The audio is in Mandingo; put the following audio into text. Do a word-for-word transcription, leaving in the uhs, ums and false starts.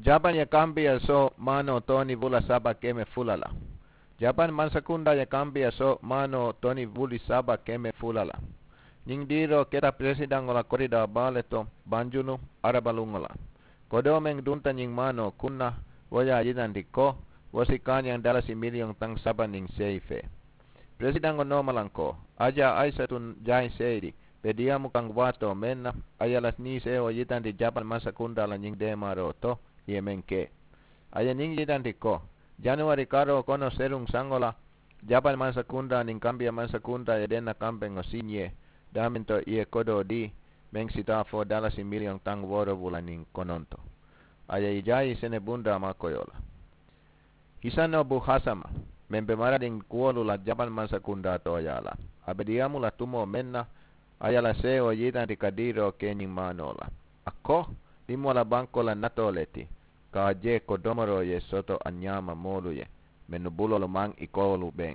Japan ye kambiya so maanoo toni wula saba keme fula la. Japan mansakundaa ye kambiya so maanoo toni wuli saba keme fula la. Ñiŋ diiroo keta peresidaŋo la koridaa baa le to banjunu arabaluŋo la. Kodoo meŋ dunta ñiŋ maanoo kunna, wo ye a yitandi ko wo si kaañaŋ dalasi miliyoŋ taŋ saba niŋ seyi fee. Peresidaŋo noomalankoo ajaa aisatu jaayi seyidi be diyaamu kaŋ waatoo meŋ na, a ye a la niiseewoo yitandi japan mansakundaa la ñiŋ deemaaroo to, i ye meŋ ke a ye ñiŋ yitandi ko januwari karoo kono seruŋ saŋo la, japan mansakundaa niŋ kambiya mansakundaa ye denna kambeŋo siñee daameŋ to i ye kodoo dii meŋ si taa fo dalasi miliyoŋ taŋ wooro wula niŋ kononto. A ye i jaayi sene bundaa maakoyoo la. Hisanobu hasama, meŋ be maradiŋ kuwolu la japan mansakundaa tooyaa la, a be diyaamu la tumoo meŋ na, a ye a la seewoo yitandi ka diiroo ke ñiŋ maanoo la. A ko, dimoo la bankoo la natoo le ti, ka a je ko domoroo ye soto a ñaama moolu ye mennu buloolu maŋ i koolu beŋ.